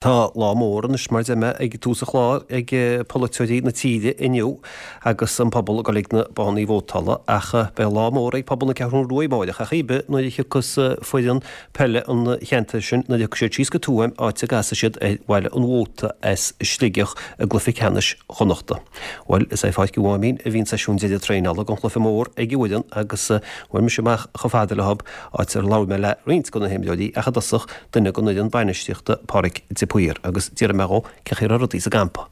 Tá lá mór anois, mar a deir mé ag tús an chláir, ag polaiteoirí na tíre inniu agus an pobal ag dul ag na bothannaí vótála ach beidh lá mór ag pobal na Ceathrún Rua amáireach ar chaoi ar bith nuair a thiocfas foireann peile an cheantair sin, nuair a thiocfaidh siad síos go Tuaim áit a gcasfaidh siad ar Bhaile an Mhóta as Sligeach i gcluiche ceannais Chonnachta. Bhuel, is é Pháirc Uí Mháimín a bhí an seisiún deiridh traenála don chluiche mór ag an bhfoireann agus bhuail mise amach chomh fada leo áit ar labhair mé le roinnt de na himreoirí ach i dtosach duine den fhoireann bainistíochta, Pádraic de Paor, agus d'fhiafraigh mé dhó cén chaoi a raibh rudaí sa gcampa.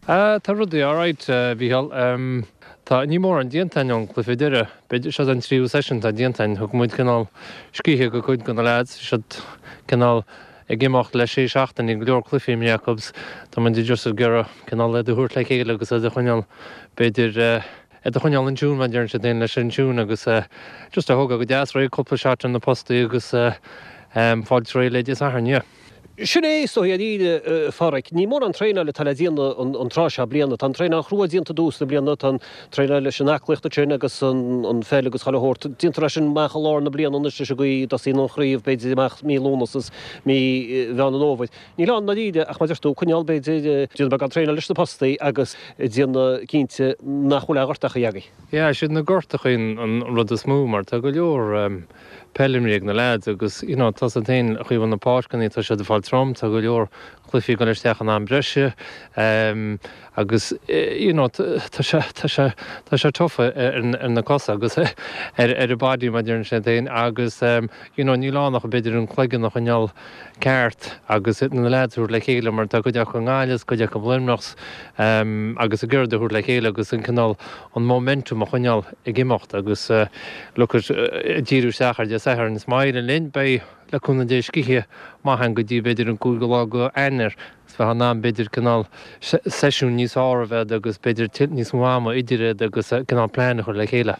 Tá rudaí alright, a Mhícheáil. Tá, níl mórán déanta againn ón gcluiche deiridh. B'fhéidir, seo an tríú seisiún atá déanta againn. Thug muid cineál scíthe go cuid de na leaids. Bhí siad cineál ag imeacht le sé seachtainí, go leor cluichí imeartha acu agus tá muid just ag iarraidh cineál iad a thabhairt le chéile agus iad a choinneáil, b'fhéidir, iad a choinneáil in tune, mar a deireann siad féin, leis an tune agus just a thógáil go deas réidh, cúpla shot ar na postaí agus fáil réidh le Dé Sathairn, yeah. Sin é, is dóigh, dáiríre, a Pháraic. Ní mórán traenáil atá le déanamh an tráth seo bliana. Tá an traenáil chrua déanta i dtús na bliana, tá an traenáil leis an aclaíocht ansin agus an pheil agus chuile shórt. Déantar é sin amach i lár na bliana anois leis an gcaoi a dtosaíonn an chraobh, b'fhéidir, amach mí Lúnasa is mí Mheán an Fhómhair. Níl ann, ndáiríre, ach mar a deir tú, coinneáil, b'fhéidir, déanamh beagán traenáil leis na postaí agus déanamh cinnte nach bhfuil aon ghortachaí agaibh. Yeah, siad na gortachaí an rud is mó mar tá go leor peil imrithe ag na leaids agus, you know, tá a fhios agat féin, an chaoi a bhfuil na páirceanna, tá siad ag fáil trom, tá go leor cluichí ag dul isteach in am breise agus, you know, tá sé, tá sé, tá sé tough ar na cosa agus ar an body mar a deireann siad féin agus, you know, níl ann ach b'fhéidir an cloigeann a choinneáil ceart agus na leaids a thabhairt le chéile mar tá cuid acu i nGaillimh is cuid acu i Luimneach agus ag iarraidh iad a thabhairt le chéile agus an cineál an momentum a choinneáil ag imeacht agus look at ag díriú isteach ar Dé Sathairn is má éiríonn linn beidh le cúnamh Dé scíth maith againn go dtí b'fhéidir an cúigiú lá go Eanáir is bheith in ann b'fhéidir cineál seisiún níos fearr a bheith agus b'fhéidir níos mó ama idir iad agus cineál plean a chur le chéile.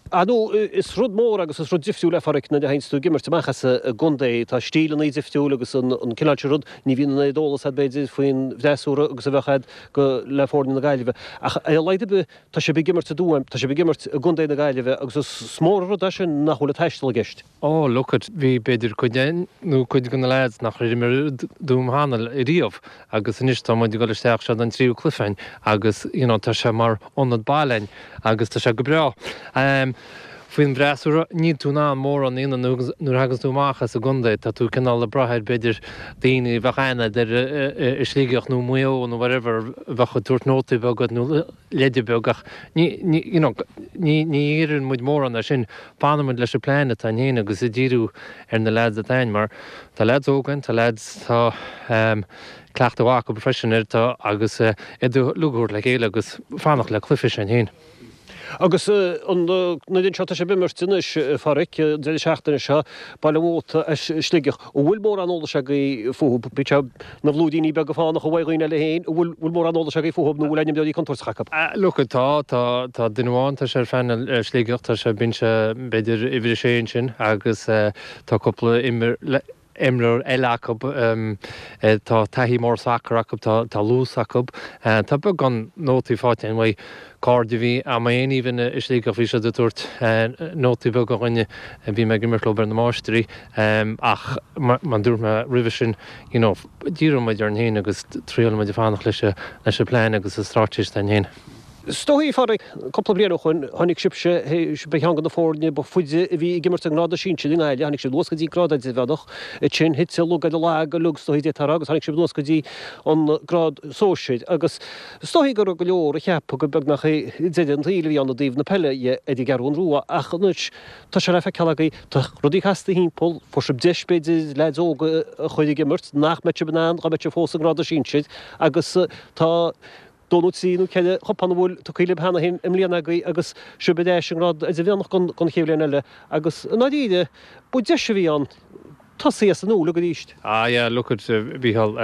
Ar ndóigh, is rud mór agus is rud difriúil é, a Pháraic, nuair a théanns tú ag imirt amach as an gcontae. Tá stíleanna difriúil agus an cineál sin rud, ní bhíonn an oiread eolas agat, b'fhéidir, faoin bhfreasúra agus a bheadh agat go le foirne na Gaillimhe. Ach ar a laghad ar bith, tá sibh ag imirt i dTuaim, tá sibh ag imirt i gcontae na Gaillimhe agus is mór an rud é sin nach bhfuil an taisteal i gceist. Oh, look it, bhí b'fhéidir cuid againn nó cuid de na lads nach raibh imir i dTuaim cheana riamh agus anois tá muid ag dul isteach, seo an tríú cluiche againn agus you know tá sé mar ionad baile againn agus tá sé go breá. Faoin bhfreasúra, níl tú in ann mórán a dhéanamh nuair a thaganns tú amach as an gcontae, tá tú cineál ag brath ar b'fhéidir daoine a bheadh aithne agat ar i Sligeach nó Maigh Eo nó whatever a bheadh ag tabhairt nótaí beaga duit nó leide beag ach ní, ní, you know, ní, ní iarrann muid mórán ar sin, fanann muid leis an plean atá againn féin agus ag díriú ar na leaids atá againn mar tá leaids óga againn, tá leaids, tá cleachtadh mhaith acu freisin air, tá agus iad uilig a thabhairt le chéile agus fanacht le cluiche s'againn féin. Agus an fhoireann seo, tá sibh ag imirt anois, a Pháraic, an deireadh seachtaine seo, Baile an Mhóta as Sligeach. An bhfuil mórán eolais agaibh fúthu? Bíonn sé ina bhlúiríní beaga fánacha uaidh dhaoine eile féin. An bhfuil bhfuil mórán eolais agaibh fúthu nó an bhfuil aon imreoirí contúirteacha acu? Look, tá, tá, tá duine amháin, tá sé ar phainéal Sligeach, tá sé, bíonn sé b'fhéidir uimhir a sé ansin agus tá cúpla imreoir, imreoir eile acu. Tá taithí mór sacair acu, tá luas acu. Tá beagán nótaí faighte againn uaidh cairde a bhí agam féin even i Sligeach, bhí siad ag tabhairt nótaí beaga dhúinne, bhí mé ag imirt leo ar na máistrí. Ach mar a dúirt mé roimhe sin, you know, díreoidh muid orainn féin agus triailfidh muid fanacht leis an bplean agus an straitéis atá againn féin. Is dóigh, a Pháraic, cúpla bliain ó shoin, tháinig sibhse, ba cheann de na foirne ba faide a bhí ag imirt i ngrád sinsir i nGaillimh, tháinig sibh anuas go dtí an grád idirmheánach, ansin thit an lug ar an lag uilig, is dóigh, d'fhéadfá a rá, agus tháinig sibh anuas go dtí an grád sóisir. Agus is dóigh go raibh go leor a cheap gur beagnach é deireadh an tsaoil a bhí ann i dtaobh na peile dhe ar an gCeathrún Rua, ach anois tá sé le feiceáil agaibh, tá rudaí casta thimpeall, fuair sibh deis, b'fhéidir, leaids óga a chur ag imirt nach mbeadh sibh in ann dá mbeadh sibh fós i ngrád sinsir, agus tá. dó nó trí nó ceithre chupán a bhfuil tugtha libh cheana féin i mbliana agaibh agus sibh ar ais i ngrád idirmheánach don chéad bhliain eile agus i ndáiríre ba deis a bhí ann tosaí as an nua uilig arís. Ah yeah, look at, a Mhícheál,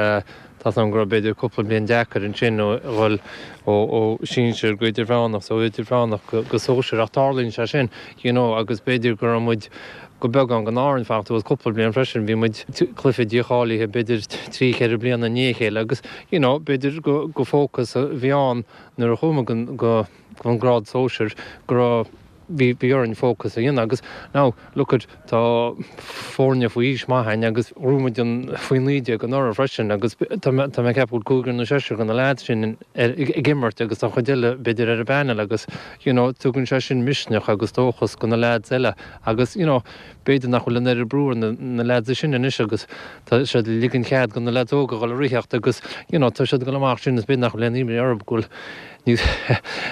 tá 's agam go raibh b'fhéidir cúpla bliain deacair ansin ó dhul ó sinsir go idirmheánach, ó idirmheánach go sóisir ach tarlaíonn sé sin, you know, agus b'fhéidir go raibh muid go beagán den ár fanacht suas cúpla bliain freisin, bhí muid cluiche dícháilithe b'fhéidir trí cheithre bliana i ndiaidh a chéile agus you know b'fhéidir go fócas a bhí ann nuair a chuaigh muid go go an grád sóisir go raibh. Bhí bhí orainn fócas a dhéanamh agus now look at tá foirne faoi aois maith againn agus ghnóthaigh muid an faoi 19 anuraidh freisin agus tá mé tá mé ag ceapadh go bhfuil cúigear nó seisear de na leaids sin ar ag imirt agus tá an chuid eile b'fhéidir ar an bpanel agus you know tugann sé sin misneach agus dóchas do na leaids eile agus you know b'fhéidir nach bhfuil an oiread brú ar na na leaids sin anois agus tá siad ag ligean cead do na leaids óga a dhul ag ritheacht agus you know tá siad ag dul amach sin is b'fhéidir nach bhfuil aon imní orthu go bhfuil Níos,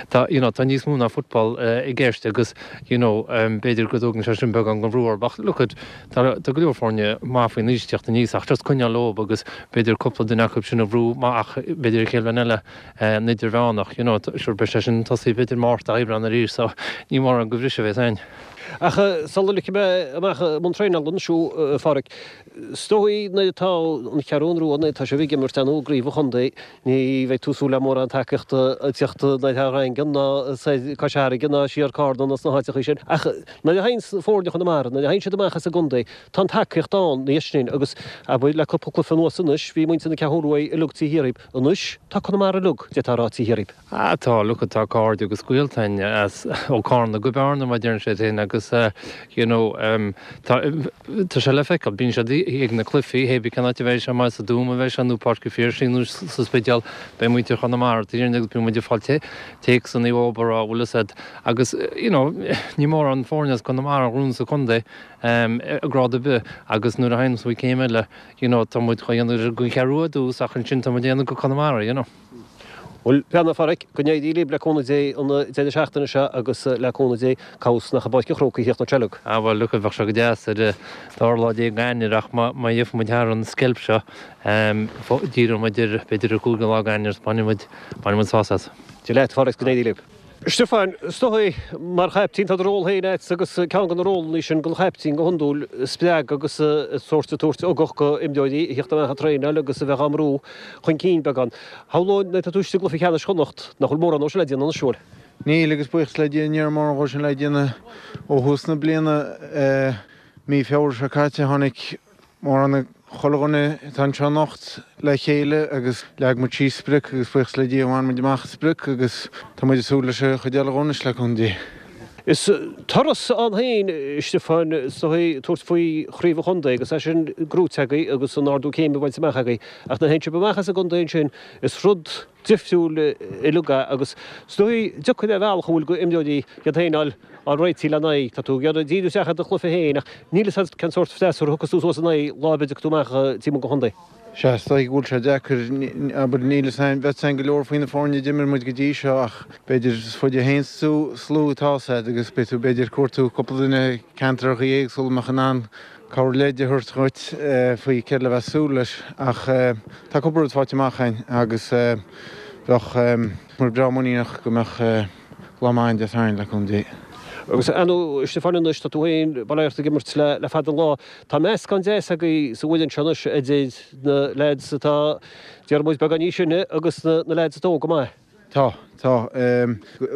tá, you know, tá níos mó ná football i gceist agus, you know, b'fhéidir go dtógann sé sin beagán den bhrú orthu ach look at, tá, tá go leor foirne maith faoin aois ag teacht aníos ach just coinneáil leob agus b'fhéidir cúpla duine acu sin a bhrú amach b'fhéidir an chéad bhliain eile an idirmheánach, you know, sure beidh sé sin tosaithe b'fhéidir Márta, Aibreán arís so ní mórán de bhriseadh a bheas ann. Ach sula ligfidh mé amach i mbun traenála anois thú, a Pháraic, is dóigh nuair atá an Cheathrú Rua, nuair atá sibh ag imirt ar ndóigh i gcraobh an chontae, Ní bheidh tú ag súil le mórán tacaíochta ag teacht ná thar an Daingean ná soir Cois Fharraige ná siar Carna ná sna háiteachaí sin. Ach nuair a théann foirne Chonamara, nuair a théann siad amach as an gcontae, tá an tacaíocht ann ina dhiaidh sin agus, abair, le cúpla cluiche anuas anois, bhí muintir na Ceathrún Rua uilig taobh thiar dhíobh. Anois, tá Conamara uilig, d'fhéadfá a rá, taobh thiar dhíobh. Ah tá, look tá cairde agus gaolta againn as ó Carna go Bearna mar a deireann siad féin agus you know tá tá sé le feiceáil, bíonn siad ag na cluichí, hé bí cén áit a bheidh sé, más sa Dúma a bheidh sé nó Páirc an Phiarsaigh nó sa Spidéal, beidh muintir Chonamara taobh thiar agus bíonn muid ag fáil téacsanna uathu ag rá bhfuil fhios a'd agus you know ní mórán foirne as Conamara a ghnóthaíonn sa chontae i ngrád ar bith agus nuair a théann muid céim eile you know tá muid á dhéanamh don Cheathrú Rua ar dtús ach ansin tá muid ag déanamh do Conamara you know. Bhuel, a Pháraic, go n-éirí libh le cúnamh Dé an deireadh seachtaine seo agus le cúnamh Dé, cá bhfios nach i bPáirc an Chrócaigh a thíocht an tseilg. Ah bhuel, look, bheadh sé go deas ar an dara lá déag d'Eanáir ach má gheobhaidh muid thar an sceilp seo, díreoidh muid ar, b'fhéidir an cúigiú lá d'Eanáir is bainfidh muid, bainfidh muid sásamh as. Dia leat, a Pháraic, go n-éirí libh. Stiofán, is dóigh, mar chaiptín, tá do ról féin agat agus ceann de na rólanna sin don chaiptín go hiondúil, spreagadh agus sórt ag tabhairt ugach do imreoirí a thíocht amach ag traenáil agus a bheith á mbrú chun cinn beagán. Shamhlóinn nuair atá tú istigh i gcluiche ceannais Chonnacht nach bhfuil mórán dó sin le déanamh anois, an bhfuil? Níl, agus buíochas le Dia ní raibh mórán dhó sin le déanamh ó thús na bliana. Mí Feabhra seo caite tháinig Mórán chuile dhuine atá anseo anocht le chéile agus leag muid síos sprioc agus buíochas le Dia bhain muid amach an sprioc agus tá muid ag súil leis an chuid eile dhó anois le cúnamh Dé. Is turas ann féin, Stiofán, is dóigh, tabhairt faoi chraobh an chontae agus é sin gnóite agaibh agus an ardú céime bainte amach agaibh ach nuair a théann sibh amach as an gcontae ansin is rud difriúil uilig é agus is dóigh deacair ar bhealach an bhfuil do imreoirí iad féin a fháil á réitigh lena aghaidh. Tá tú ag iarraidh díriú isteach ar do chluiche féin ach níl fhios agat cén sórt freasúra a thiocfas tú suas ina aghaidh lá ar bith a dtiocfaidh tú amach taobh amuigh den chontae. Sea, is dóigh go bhfuil sé deacair, abair, níl fhios a'inn, bheadh fhios a'inn go leor faoi na foirne a d'imir muid go dtí seo ach b'fhéidir is faide a théanns tú is lú atá fhios a'd agus beidh tú b'fhéidir ag cuartú cúpla duine ceantracha éagsúla a mbeadh in ann cabhair leid a thabhairt dhuit faoi céard le bheith ag súil leis ach tá cúpla rud faighte amach a'inn agus bheadh muid breá muiníneach go mbeadh lá maith a'inn Dé Sathairn le cúnamh Dé. Agus ar ndóigh, a Stiofáin anois, tá tú féin, bail ó Dhia ort, ag imirt le fada an lá. Tá meascán deas agaibh sa bhfoireann seo anois idir na leaids atá, déarfaidh muid, beagán níos sine agus na leaids atá óg go maith. Tá, tá.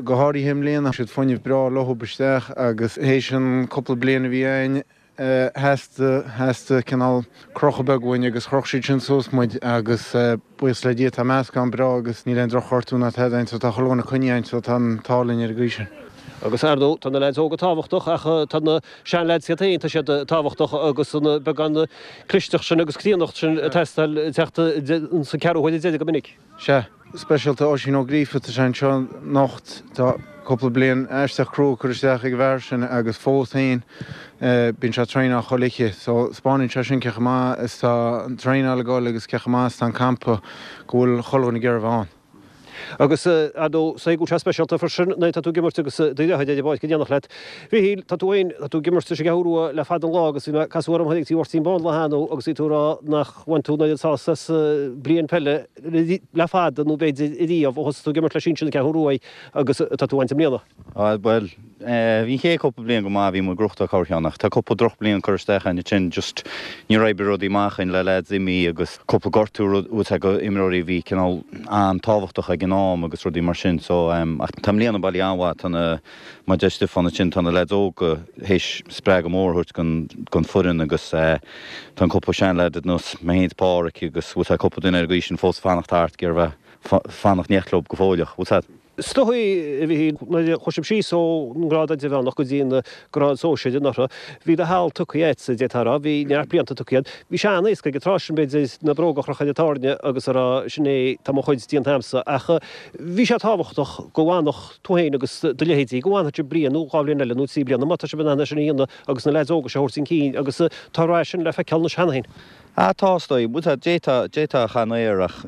Go háirithe i mbliana, siad fuinneamh breá leothub isteach agus théis an cúpla bliain a bhí a'inn, Theastaigh, theastaigh cineál crochadh beag uainn agus chroch siad sin suas muid agus buíochas le Dia tá meascán breá agus níl aon droch-ghortú ná tada againn so tá chuile dhuine coinnithe againn so tá an t-ádh linn ar an gcaoi sin. Agus ar ndóigh tá na leaids óga tábhachtach ach tá na sean-leaids iad féin, tá siad tábhachtach agus an beagán clisteacht sin agus críonnacht sin ag teastáil ag teacht sa ceathrú huaire deiridh go minic. Sea, speisialta Oisín Ó Gríofa, tá sé anseo anocht, tá cúpla bliain aisteach crua curtha isteach ag an bhfear sin agus fós féin bíonn sé ag traenáil chuile oíche. So 'spáineann sé sin cé chomh maith is tá an traenáil ag dul agus cé chomh maith is tá an campa go bhfuil chuile dhuine ag iarraidh a bheith ann. Agus ar ndóigh, is dóigh go bhfuil sé speisialta freisin nuair atá tú ag imirt agus do dheartháir ar an bpáirc in éineacht leat. Mhichíl, tá tú féin, tá tú ag imirt leis an gCeathrú Rua le fada an lá agus bhí mé, casadh orm thoir ag Tí Mháirtín Bán lá cheana agus bhí tú ag rá nach bhain tú an oiread sásamh as bliain peile le fada nó b'fhéidir ariamh ó thosaigh tú ag imirt le sinsir na Ceathrún Rua agus atá tú a bhaint i mbliana. Á, bhuel, bhí an chéad cúpla bliain go maith, bhí muid ag gnóthachtáil corrcheann ach tá cúpla drochbhliain curtha isteach againn ansin, just níor oibrigh rudaí amach againn le leaids imithe agus cúpla gortú rud go imreoirí a bhí cineál an-tábhachtach ag an am agus rudaí mar sin so, ach tá i mbliana bailithe an-mhaith, tá na, Mar a deir Stiofán ansin, tá na leaids óga théis spreagadh mór a thabhairt don foireann agus tá an cúpla seanleaid ar nós mé féin is Páraic agus bhfuil tá cúpla duine ar an gcaoi sin fós ag fanacht thart ag iarraidh bheith fanacht in éineacht leo go fóilleach, bhfuil fhios a'd. Is dóigh, a Mhichíl, nuair a chuaigh sibh síos ón ngrád idirmheánach go dtí an grád sóisir anuraidh, bhí do sheal tugtha agat, d'fhéadfá a rá, bhí neart blianta tugtha agat. Bhí sé an-éasca ag an tráth sin, b'fhéidir, na bróga a chrochadh ar an tairne agus a rá, sin é, tá mo chuid déanta agamsa. Ach bhí sé tábhachtach go bhfanfadh tú féin agus do leithéidí, go bhfanfadh sibh bliain nó 2 bhliain eile nó 3 bliana, má tá sibh in ann é sin a dhéanamh agus na leaids óga seo a thabhairt chun cinn agus tá an rath sin le feiceáil anois cheana féin. Ah, tá, is dóigh. Bhuel, d'fhéadfá, d'fhéadfá a chaitheamh air ach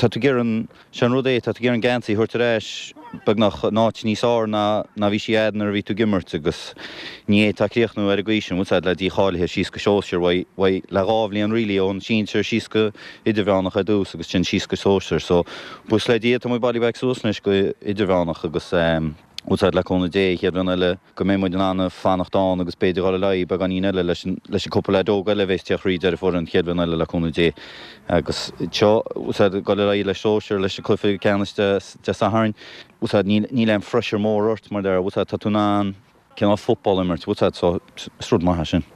tá tú ag iarraidh an, sé an rud é, tá tú ag iarraidh an geansaí a thabhairt ar ais beagnach in áit níos fhearr ná, ná bhí sí a'd nuair a bhí tú ag imirt agus ní fhéadfá críochnú ar an gcaoi sin, bhfuil 's a'd, le dícháilithe síos go sóisear, uaidh, uaidh, le dhá bhliain really ón sinsir síos go idirmheánach ar dtús agus sin síos go sóisear. So, buíochas le Dia tá muid bailithe back suas anois go idirmheánach agus eh, bhfuil 's a'd, le cúnamh Dé, an chéad bhliain eile, go mbeidh muid in ann fanacht ann agus b'fhéidir dhul ar aghaidh beagáinín eile leis an leis an cúpla leaid óg eile a bheas ag tíocht thríd ar an bhfoireann an chéad bhliain eile le cúnamh Dé. Agus seo, bhfuil 's a'd, dhul ar aghaidh le sóisear leis an cluiche ceannais Dé Dé Sathairn, bhfuil 's a'd, níl níl aon phressure mór ort mar déarfá, bhfuil 's a'd, tá tú in ann cineál football a imirt, bhfuil 's a'd, so is rud maith é sin.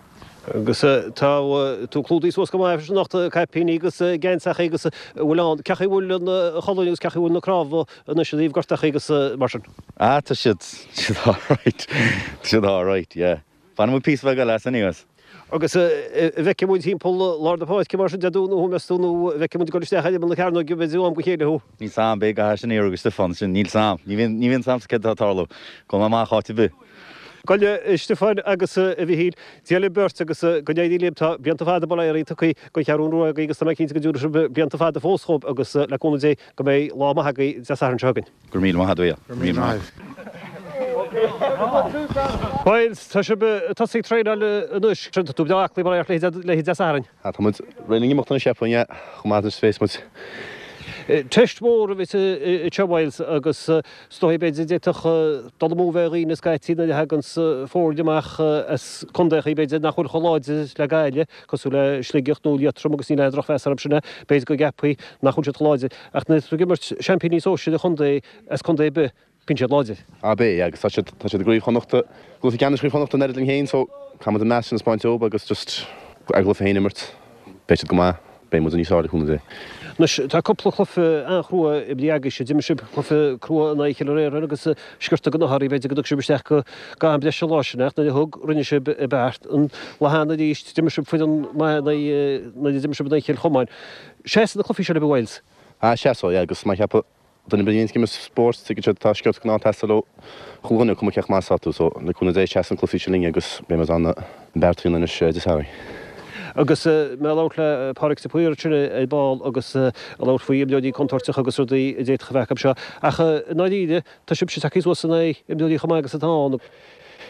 Agus tá tú clúdaithe suas go maith freisin anocht, caipíní agus geansachaí agus a bhfuil ann. Cén chaoi a bhfuil an cholainn agus cén chaoi a bhfuil na cnámha anois i dtaobh gortachaí agus mar sin? Ah, tá siad, tá siad alright. Tá siad alright, yeah. Fanfaidh muid píosa beag eile as anyways. Agus an bhfeicfidh muid timpeall lár na páirce mar sin Dé Domhnaigh thú, meas tú, nó an bhfeicfidh muid ag dul isteach ar imeall na cearnóige b'fhéidir ó am go chéile thú? Níl 's a'm, beidh gach sin iarraidh go Stiofán, sin, níl 's a'm. Ní bhíonn, ní bhíonn 's a'msa céard atá ag tarlú. Gabhfaidh mé amach áit ar bith. Gabh i leith, a Stiofáin agus a Mhichíl. Dia libh beirt agus go n-éirí libh. Tá blianta fada bail ó Dhia oraibh tugtha don Cheathrú Rua agaibh agus tá mé cinnte go dtabharfaidh sibh blianta fada fós dhóibh agus le cúnamh Dé go mbeidh lá maith agaibh Dé Sathairn seo chugainn. Go raibh míle maith agat, a Mhichíl. Go raibh míle maith. Bhuel, tá sibh ag tosaí ag traenáil anois. Tá tú breá aclaí mar a le haghaidh Dé Sathairn. Tá muid réidh le n-imeacht anois, cheapfainn, yeah, chomh maith is a bhéas muid. Teist mhór a bheas anseo Myles agus is dóigh b'fhéidir d'fhéadfadh dul amú a bheith ar dhaoine scaití nuair a thaganns foirne amach as contaethaí b'fhéidir nach bhfuil chomh láidir le Gaillimh, cosúil le Sligeach nó Liatroim agus níl aon drochmheas orthu sin b'fhéidir go gceapfaí nach bhfuil siad chomh láidir. Ach nuair atá tú ag imirt seaimpíní sóisir an chontae as contae ar bith, Bíonn siad láidir. Ab é, agus tá siad, tá siad i gCraobh Chonnachta, gcluiche ceannais Chraobh Chonnachta an oiread linn féin so caithfidh muid an meas sin a 'speáint dóibh agus just ár gcluiche féin a imirt. Beidh siad go maith, beidh muid níos fearr le cúnamh Dé. Anois, tá cúpla cluiche an-chrua imrithe agaibhse. D'imir sibh cluiche crua in aghaidh Chill Réaráin agus sciorta den ádh oraibh, b'fhéidir go dtug sibh isteach go am breise an lá sin ach nuair a thug, rinne sibh beart. An lá cheana arís, d'imir sibh foireann maith in aghaidh, nuair a d'imir sibh in aghaidh Chill Chomáin. Seasfaidh na cluichí seo libh, a Mhyles? Ah, seasfaidh, yeah, agus má cheapadh Duine ar bith a bhíonns ag imirt spóirt, tuigeann siad tá sciorta den ádh ag teastáil ó chuile dhuine, cuma cé chomh maith is atá tú. So, le cúnamh Dé, seasfaidh na cluichí seo linn agus beidh muid in ann an beart a dhéanamh anois Dé Sathairn. Agus mé ag labhairt le Pádraig de Paor ansin ar ball agus ag labhairt faoi imreoirí contúirteacha agus rudaí a d'fhéadfadh a bheith acu seo. Ach i ndáiríre, tá sibhse tagtha suas in aghaidh imreoirí chomh maith agus atá ann.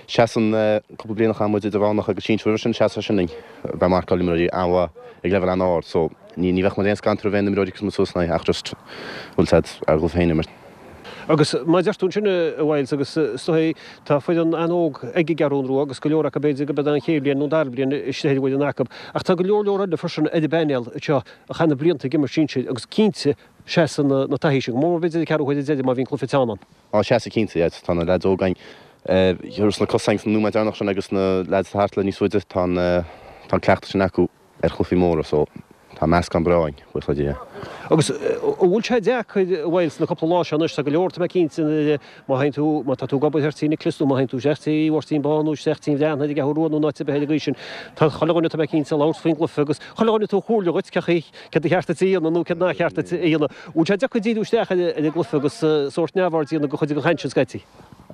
Seasann cúpla bliain a chaith muid idirmheánach agus sinsir roimhe sin, seasann sin linn. Bheith marcáil imreoirí an-mhaith ag leibhéal an-ard so ní ní bheadh muid aon scanradh roimh aon imreoir a thiocfas muid suas ina aghaidh ach just bhfuil 's a'd ár gcluiche féin a imirt. Agus mar a deir tú ansin a Mhyles agus is dóigh tá foireann an-óg ag an gCeathrú Rua agus go leor acu b'fhéidir go mbeidh an chéad bhliain nó an dara bliain istigh ar an bhfoireann acu ach tá go leor leor eile freisin ar an bpainéal anseo a chaith na blianta ag imirt sinsir agus cinnte seasann na taithí sin go mór b'fhéidir an ceathrú huaire deiridh má bhíonn cluiche teann ann. Á, seasfaidh cinnte, yeah. Tá na leaids óga againn, thiar sna cosáin sna nóiméid deireanach sin agus na leaids atá thart le níos faide, tá an, tá an cleachtadh sin acu ar chluichí móra so tá meascán breá againn, buíochas le Dia. Agus an bhfuil sé deacair, a Mhyles, na cúpla lá seo anois, tá go leor, tá mé cinnte, má théann tú, má tá tú ag obair thoir tí Nicholas nó má théann tú isteach tí Mháirtín Bán nó isteach tí an Bhreathnaigh ar an gCeathrú Rua nó in áit ar bith ar an gcaoi sin, tá chuile dhuine, tá mé cinnte, ag labhairt faoin gcluiche agus chuile dhuine ag tabhairt comhairle dhuit cé chaoi, céard ba cheart duit a dhéanamh nó céard nár cheart duit a dhéanamh. Bhfuil sé deacair díriú isteach ar an gcluiche agus sórt neamhaird a dhéanamh de chuid den chaint sin scaití?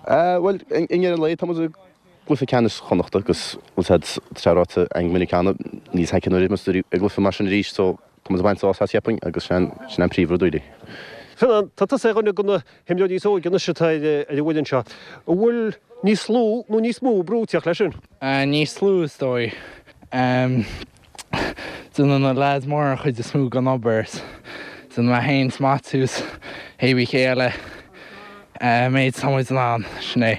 Bhuel, i ndeireadh an lae, tá muid i gcluiche ceannais Chonnachta agus bhfuil 's a'd, tá sé ráite againn go minic cheana, níl 's a'd cén uair a bheidh muid i gcluiche mar sin arís so tá muid ag baint sásamh as cheapfainn agus sin an príomhrud really. Fionán, tá tusa ar dhuine de na himreoirí is óige anois atá ar an bhfoireann seo. An bhfuil níos lú nó níos mó brú ag teacht leis sin? Níos lú is dóigh. Déanann na leaids móra an chuid is mó den obair. Déanann mé féin 's Maitiú 's hé bí cé eile méid tá muid in ann, sin é.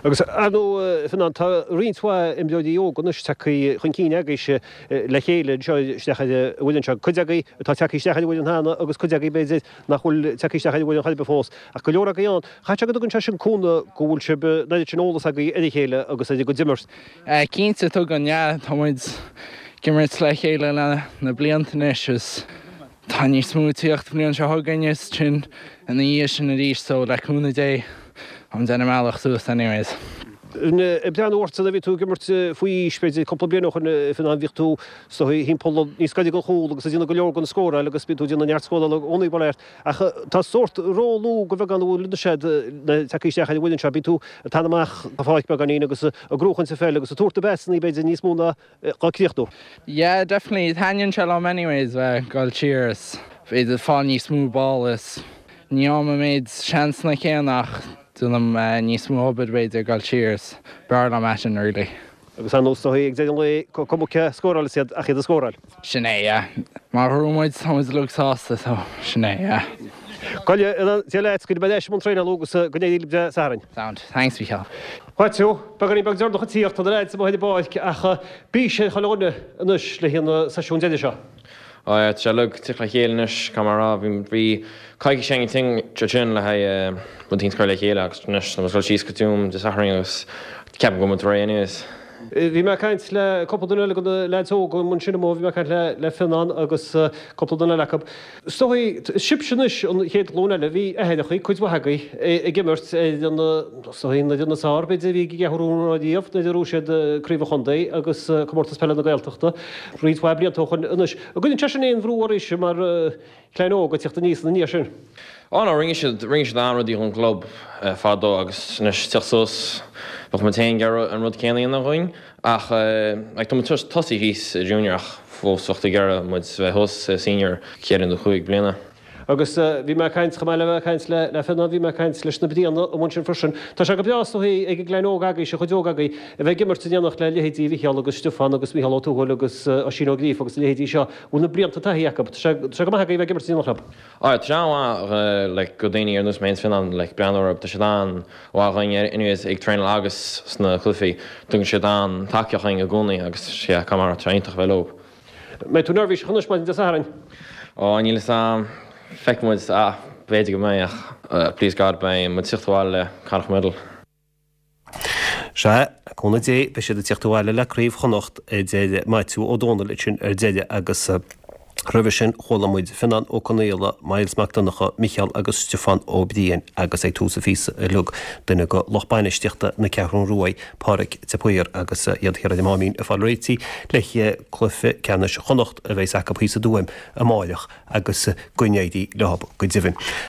Agus ar ndóigh, Fionán, tá roinnt mhaith imreoirí óga anois tagtha chun cinn agaibhse le chéile anseo isteach ar an bhfoireann seo. Cuid agaibh atá tagtha isteach ar an bhfoireann cheana agus cuid agaibh, b'fhéidir, nach bhfuil tagtha isteach ar an bhfoireann chor ar bith fós. Ach go leor agaibh ann. Caithfidh sé go dtugann sé sin cúnamh go bhfuil sibh, an oiread sin eolas agaibh ar a chéile agus ar an gcuid imirt. Cinnte, tugann, yeah. Tá muid ag imirt le chéile le na blianta anois is. Tá níos mó ag tíocht an bhliain seo chugainn is sin ina dhiaidh sin arís so le cúnamh Dé táim ag déanamh mo bhealach suas anyways. Ag breathnú ortsa nuair a bhí tú ag imirt faoi aois, b'fhéidir cúpla bliain ó shin, a Fhionnáin, bhíodh tú is dóigh thimpeall níos gaire don chúl agus ag déanamh go leor den scóráil agus bíonn tú ag déanamh neart scórála i gcónaí bail ó Dhia ort. Ach tá sórt rólú de bheagán a bhfuil anois agat le teacht isteach ar an bhfoireann seo. Bíonn tú ag teannadh amach an pháirc beagáinín agus ag gnóchaint an pheil agus ag tabhairt na bpasannaí b'fhéidir níos mó ná dhá críochnú. Yeah definitely, taitníonn sé liom anyways bheith ag dul siar is b'fhéidir fáil níos mó ball is ní fhaighim an méid seansanna céanna ach déanaim níos mó obair b'fhéidir ag dul siar is b'fhearr liom é sin really. Agus ar ndóigh is dóigh ag deireadh an lae cuma cé scórálas iad ach iad a scóráil. Sin é yeah. Má ghnóthaíonn muid tá muid uilig sásta so sin é yeah. Go Dia leat, go mbeidh leis i mbun traenála agus go n-éirí libh Dé Sathairn. Sound. Thanks Mhícheál. Mhaitiú, beagáinín beag deireanach ag tíocht, tá na leaids amuigh ar an bpáirc ach bís ar chuile dhuine anois le haghaidh an seisiún deiridh seo. Á yeah, tá sé uilig ag tíocht le chéile anois, caithfidh mé a rá, bhí, bhí coicís againn ansin le haghaidh rud éicint a chur le chéile agus anois tá muid ag dul síos go Tuaim Dé Sathairn agus ceapaim go bhfuil muid réidh anyways. Bhí mé ag caint le cúpla duine eile de na leaids óga ansin amuigh, bhí mé ag caint le le Fionnán agus cúpla duine eile acu. Is dóigh, sibhse anois an chéad ghlúin eile, bhí aithreachaí, cuid mhaith agaibh, ag imirt ar an, is dóigh, an fhoireann is fearr, b'fhéidir, a bhí ag an gCeathrú Rua riamh nuair a bhuaigh siad Craobh an Chontae agus Comórtas Peile na Gaeltachta roinnt mhaith blianta ó shoin anois. An gcuireann sé sin aon bhrú oraibhse mar chlann óg ag tíocht aníos ina ndiaidh sin? Ó no, rinne siad, rinne siad an-rudaí dhon gclub fadó agus anois tíocht suas, bheadh muid féin ag iarraidh an rud céanna a dhéanamh dhúinn ach like tá muid tosaithe thíos i junior ach fós bheadh tú ag iarraidh muid bheith thuas i senior ceithre nó chúig bliana. Agus bhí mé ag caint, chomh maith le bheith ag caint le le Fionnán, bhí mé ag caint leis na Briana amuigh ansin freisin. Tá sé go breá is dóigh ag an gclann óg agaibhse, an chuid óg agaibh, a bheith ag imirt in éineacht le leithéidí Mhicheál agus Stiofán agus Micheál Ó Tuathail agus Oisín Ó Gríofa agus na leithéidí seo, a bhfuil na blianta taithí acu. Tá sé, tá sé go maith agaibh a bheith ag imirt in éineacht leo. Á, tá sé an-mhaith like go daoine ar nós mé is Fionnán like breathnú orthu, tá siad an-mhaith dhúinn anyways ag traenáil agus sna cluichí, tugann siad an-tacaíocht dhúinn i gcónaí agus yeah, caithfidh mé a rá, tá sé iontach a bheith leo. Mbeidh tú neirbhíseach anois maidin Dé Sathairn? Ó, níl fhios a'm. Feicfidh muid. Ah, b'fhéidir go mbeidh ach please God beidh muid ag tíocht abhaile le Connacht Medal. Sea, le cúnamh Dé, beidh siad ag tíocht abhaile le Craobh Chonnacht, a deir Maitiú Ó Dónaill ansin ar deireadh agus roimhe sin chuala muid Fionnán Ó Conaola, Myles Mac Donncha, Micheál agus Stiofán Ó Briain agus ag tús an phíosa uilig duine de lucht bainistíochta na Ceathrún Ruaidh, Pádraic de Paor agus iad thiar ar an Máimín ag fáil réitithe le haghaidh cluiche ceannais Chonnacht a bheas acu thíos i dTuaim amáireach agus go n-éirí leo go deimhin.